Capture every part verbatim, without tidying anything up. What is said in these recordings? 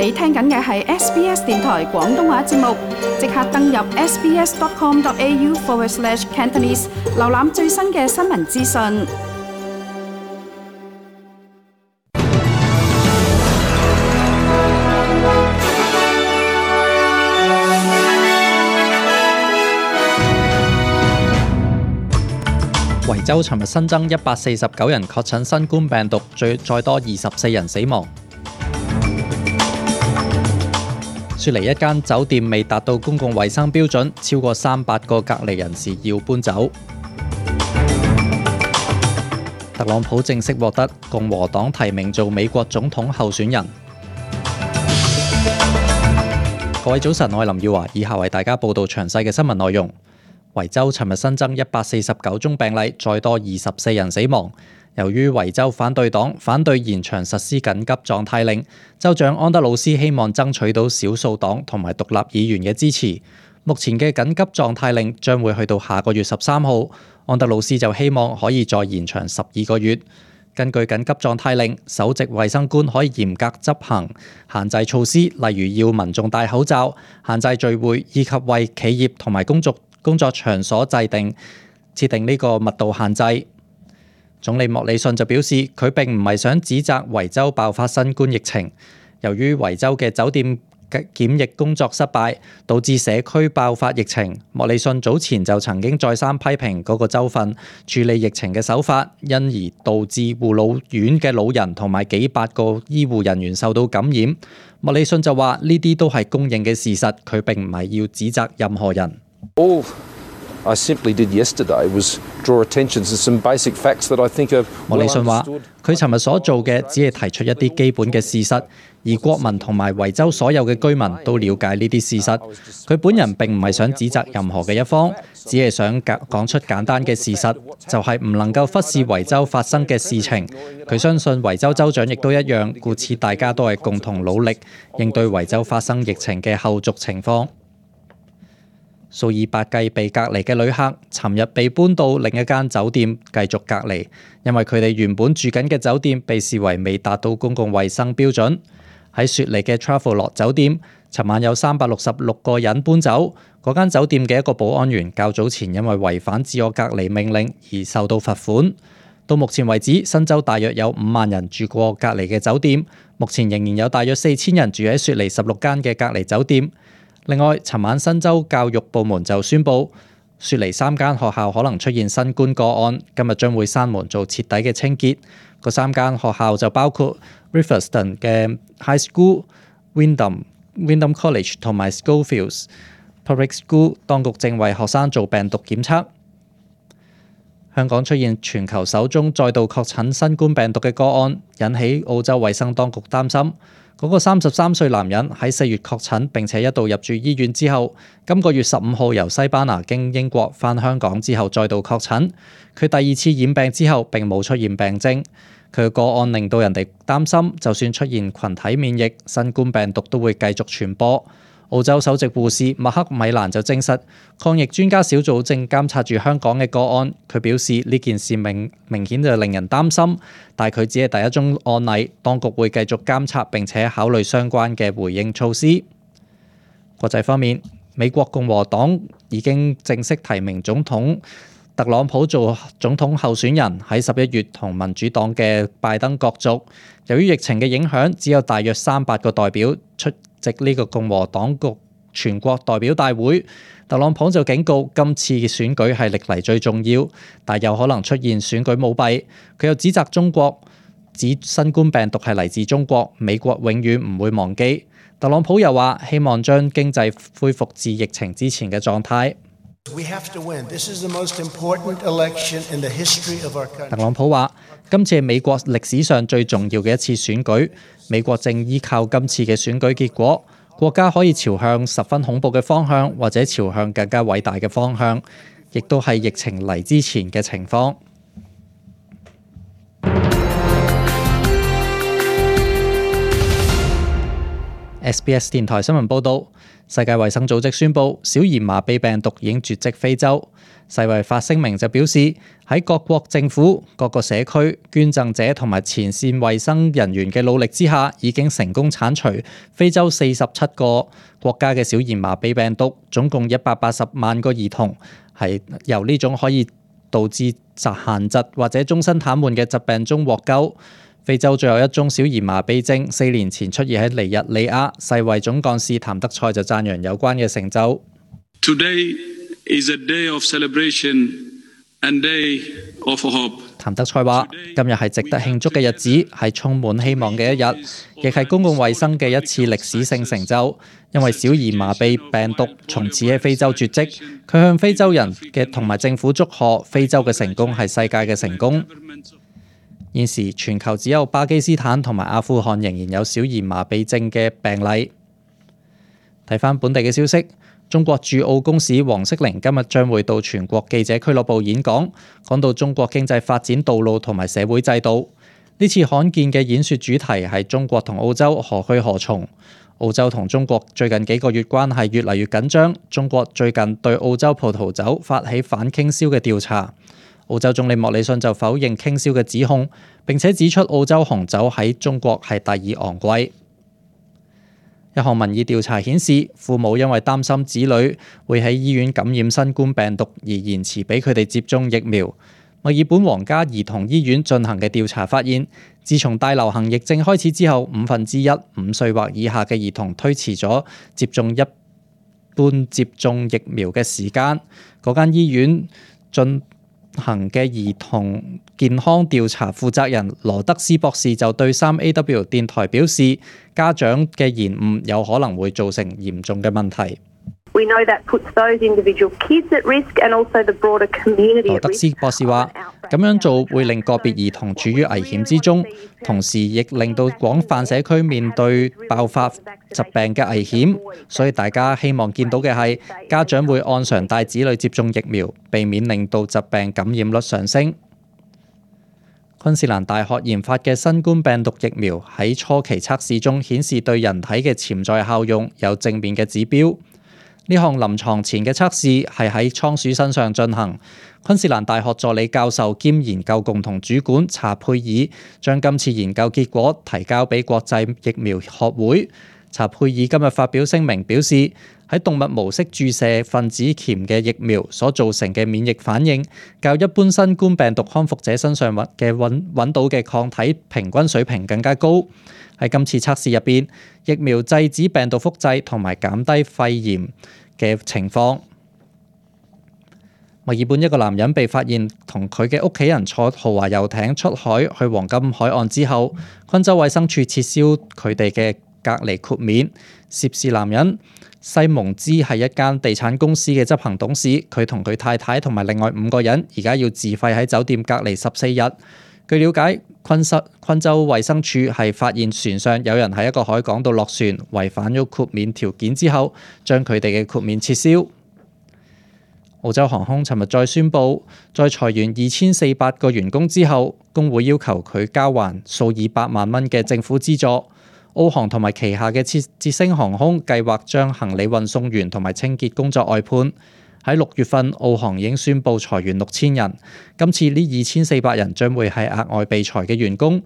你聽緊嘅係 S B S 電台廣東話節目，即刻登入 sbs.com.au forward slash Cantonese， 瀏覽最新嘅新聞資訊。維州尋日新增一百四十九人確診新冠病毒，最再多二十四人死亡。雪梨一間酒店未達到公共衛生標準，超過三百個隔離人士要搬走。特朗普正式獲得共和黨提名做美國總統候選人。各位早晨，我係林耀華，以下為大家報道詳細嘅新聞內容。維州尋日新增一百四十九宗病例，再多二十四人死亡。由於維州反對黨反對延長實施緊急狀態令，州長安德魯斯希望爭取到少數黨同埋獨立議員嘅支持。目前嘅緊急狀態令將會去到下個月十三號，安德魯斯就希望可以再延長十二個月。根據緊急狀態令，首席衛生官可以嚴格執行限制措施，例如要民眾戴口罩、限制聚會，以及為企業同埋工作工作場所制定設定呢個密度限制。總理莫里遜就表示，佢並唔係想指責維州爆發新冠疫情，由於維州嘅酒店檢疫工作失敗，導致社區爆發疫情。莫里遜早前就曾經再三批評嗰個州份處理疫情嘅手法，因而導致護老院嘅老人同埋幾百個醫護人員受到感染。莫里遜就話呢啲都係公認嘅事實，佢並唔係要指責任何人。All I simply did yesterday was draw attention to some basic facts that I think are well understood. 莫里遜話：佢尋日所做嘅只係提出一啲基本嘅事實，而國民同埋維州所有嘅居民都了解呢啲事實。佢本人並唔係想指責任何嘅一方，只係想講出簡單嘅事實，就係唔能夠忽視維州發生嘅事情。佢相信維州州長亦都一樣，故此大家都係共同努力應對維州發生疫情嘅後續情況。數以百計被隔離嘅旅客，尋日被搬到另一間酒店繼續隔離，因為佢哋原本住緊嘅酒店被視為未達到公共衛生標準。喺雪梨嘅 Travelodge 酒店，尋晚有三百六十六個人搬走。嗰間酒店嘅一個保安員較早前因為違反自我隔離命令而受到罰款。到目前為止，新州大約有五萬人住過隔離嘅酒店，目前仍然有大約四千人住喺雪梨十六間嘅隔離酒店。另外，尋晚新州教育部門就宣布，雪梨三間學校可能出現新冠個案，今日將會閂門做徹底嘅清潔。嗰三間學校就包括 Riverstone 嘅 High School、Wyndham、Wyndham College 同埋 Schofields Public School。當局正為學生做病毒檢測。香港出現全球首宗再度確診新冠病毒嘅個案，引起澳洲衛生當局擔心。嗰個三十三歲男人喺四月確診並且一度入住醫院之後，今個月十五號由西班牙經英國返香港之後再度確診。佢第二次染病之後並冇出現病徵。佢嘅個案令到人哋擔心，就算出現群體免疫，新冠病毒都會繼續傳播。澳洲首席護士麥克米蘭就證實，抗疫專家小組正監察住香港嘅個案。佢表示呢件事明明顯就令人擔心，但佢只係第一宗案例，當局會繼續監察並且考慮相關嘅回應措施。國際方面，美國共和黨已經正式提名總統特朗普做總統候選人，喺十一月同民主黨嘅拜登角逐。由於疫情嘅影響，只有大約三百個代表出席呢個共和黨局全國代表大會。特朗普就警告，今次嘅選舉係歷嚟最重要，但有可能出現選舉舞弊。佢又指責中國，指新冠病毒係嚟自中國，美國永遠唔會忘記。特朗普又話，希望將經濟恢復至疫情之前嘅狀態。特朗普話：今次係美國歷史上最重要嘅一次選舉，美國正依靠今次嘅選舉結果，國家可以朝向十分恐怖嘅方向，或者朝向更加偉大嘅方向，亦都係疫情嚟之前嘅情況。S B S 電台新聞報導，世界衛生組織宣布，小兒麻痹病毒已經絕跡非洲。世衛發聲明就表示，喺各國政府、各個社區、捐贈者同埋前線衛生人員嘅努力之下，已經成功剷除非洲四十七個國家嘅小兒麻痹病毒，總共一百八十萬個兒童係由呢種可以導致殘疾或者終身癱瘓嘅疾病中獲救。非洲最後一宗小兒麻痹症四年前出現喺尼日利亞，世衛總幹事譚德塞就讚揚有關嘅成就。Today is a day of celebration and day of hope. 譚德塞話：今日係值得慶祝嘅日子，係充滿希望嘅一日，亦係公共衛生嘅一次歷史性成就。因為小兒麻痹病毒從此喺非洲絕跡，佢向非洲人嘅同埋政府祝賀，非洲嘅成功係世界嘅成功。現時全球只有巴基斯坦同埋阿富汗仍然有小兒麻痹症嘅病例。睇返本地嘅消息，中國駐澳公使黃色玲今日將會到全國記者俱樂部演講，講到中國經濟發展道路同埋社會制度。呢次罕見嘅演說主題係中國同澳洲何去何從。澳洲同中國最近幾個月關係越嚟越緊張，中國最近對澳洲葡萄酒發起反傾銷嘅調查。澳洲總理莫里遜就否認傾銷嘅指控，並且指出澳洲紅酒喺中國係第二昂貴。一項民意調查顯示，父母因為擔心子女會喺醫院感染新冠病毒而延遲俾佢哋接種疫苗。墨爾本皇家兒童醫院進行嘅調查發現，自從大流行疫症開始之後，五分之一五歲或以下嘅兒童推遲咗接種一般接種疫苗嘅時間。嗰間醫院進行嘅兒童健康調查負責人羅德斯博士就對三 A W 電台表示，家長嘅延誤有可能會造成嚴重嘅問題。We know that puts those individual kids at risk and also the broader community at risk. 羅德斯博士話：咁樣做會令個別兒童處於危險之中，同時亦令到廣泛社區面對爆發疾病嘅危險。所以大家希望見到嘅係家長會按常帶子女接種疫苗，避免令到疾病感染率上升。昆士蘭大學研發嘅新冠病毒疫苗喺初期測試中顯示對人體嘅潛在效用有正面嘅指標。呢項臨床前嘅測試係喺倉鼠身上進行。昆士蘭大學助理教授兼研究共同主管查佩爾將今次研究結果提交俾國際疫苗學會。查佩爾今日發表聲明表示，喺動物模式注射分子鉗嘅疫苗所造成嘅免疫反應，較一般新冠病毒康復者身上嘅揾揾到嘅抗體平均水平更加高。喺今次測試入邊，疫苗制止病毒複製同埋減低肺炎嘅情況。墨爾本一個男人被發現同佢嘅屋企人坐豪華遊艇出海去黃金海岸之後，昆州衛生署撤銷佢哋嘅隔離豁免。涉事男人西蒙茲係一間地產公司嘅執行董事，佢同佢太太同埋另外五個人而家要自費喺酒店隔離十四日。據了解，昆州昆州衛生署係發現船上有人喺一個海港度落船，違反咗豁免條件之後，將佢哋嘅豁免撤銷。澳洲航空尋日再宣布，在裁員二千四百個員工之後，工會要求佢交還數以百萬蚊嘅政府資助。澳航同埋旗下嘅捷捷星航空計劃將行李運送員同埋清潔工作外判。喺六月份，澳航已經宣布裁員六千人。今次呢二千四百人將會係額外被裁嘅員工。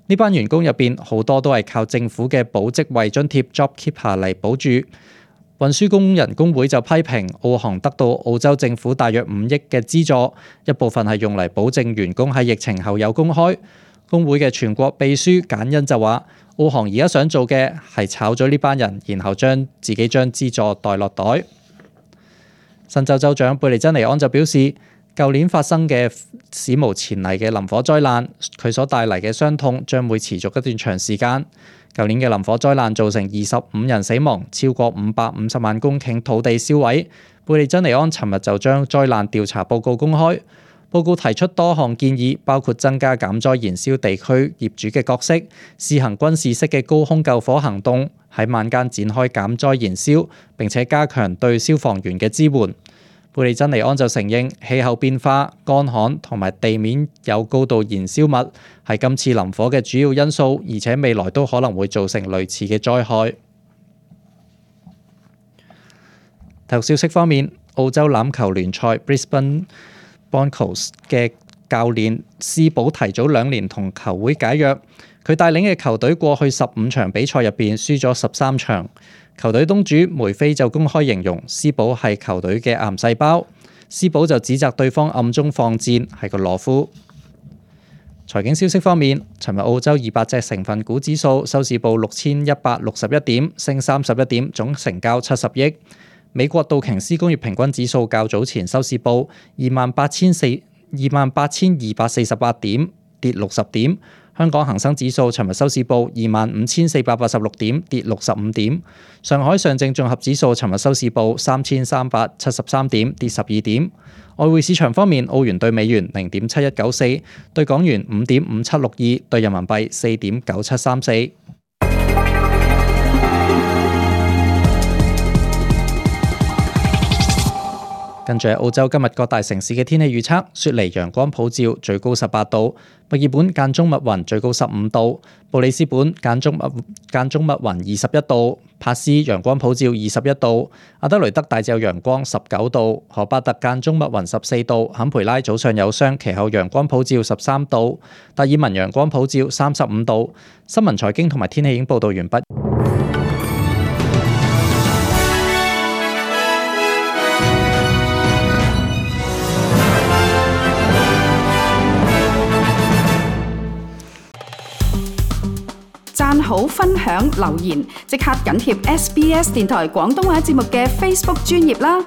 呢班員工入邊好多都係靠政府嘅保職位津貼 JobKeeper 嚟保住。運輸工人工會就批評澳航得到澳洲政府大約五億嘅資助，一部分係用嚟保證員工喺疫情後有工開。工會嘅全國秘書簡恩就話：澳航而家想做嘅係炒咗呢班人，然後將自己將資助袋落袋。新州州長貝利珍尼安就表示，舊年發生嘅史無前例嘅林火災難，佢所帶嚟嘅傷痛將會持續一段長時間。舊年嘅林火災難造成二十五人死亡，超過五百五十萬公頃土地燒毀。貝利珍尼安尋日就將災難調查報告公開，報告提出多項建議，包括增加減災燃燒地區業主嘅角色，試行軍事式嘅高空救火行動，喺晚間展開減災燃燒，並且加強對消防員嘅支援。貝利珍尼安就承認氣候變化、乾旱同埋地面有高度燃燒物係今次林火嘅主要因素，而且未來都可能會造成類似嘅災害。體育消息方面，澳洲欖球聯賽 Brisbane Broncos 嘅教練斯堡提早兩年同球會解約，佢帶領嘅球隊過去十五場比賽入邊輸咗十三場。球隊東主梅菲就公開形容斯堡係球隊嘅癌細胞，斯堡就指責對方暗中放箭，係個懦夫。財經消息方面，尋日澳洲二百隻成分股指數收市報六千一百六十一點，升三十一點，總成交七十億。美國道瓊斯工業平均指數較早前收市報二萬八千四二萬八千二百四十八點，跌六十點。香港恒生指數尋日收市報二萬五千四百八十六點，跌六十五點。上海上證綜合指數尋日收市報三千三百七十三點，跌十二點。外匯市場方面，澳元對美元零點七一九四，對港元五點五七六二，對人民幣四點九七三四。跟住係澳洲今日各大城市嘅天氣預測：雪梨陽光普照，最高十八度；墨爾本間中密雲，最高十五度；布里斯本間中密間中密雲，二十一度；帕斯陽光普照，二十一度；阿德雷德大致有陽光，十九度；荷巴特間中密雲，十四度；坎培拉早上有霜，其後陽光普照，十三度；達爾文陽光普照，三十五度。新聞財經同埋天氣已經報導完畢。讚好、分享、留言，即刻緊貼 S B S 電台廣東話節目嘅 Facebook 專頁啦！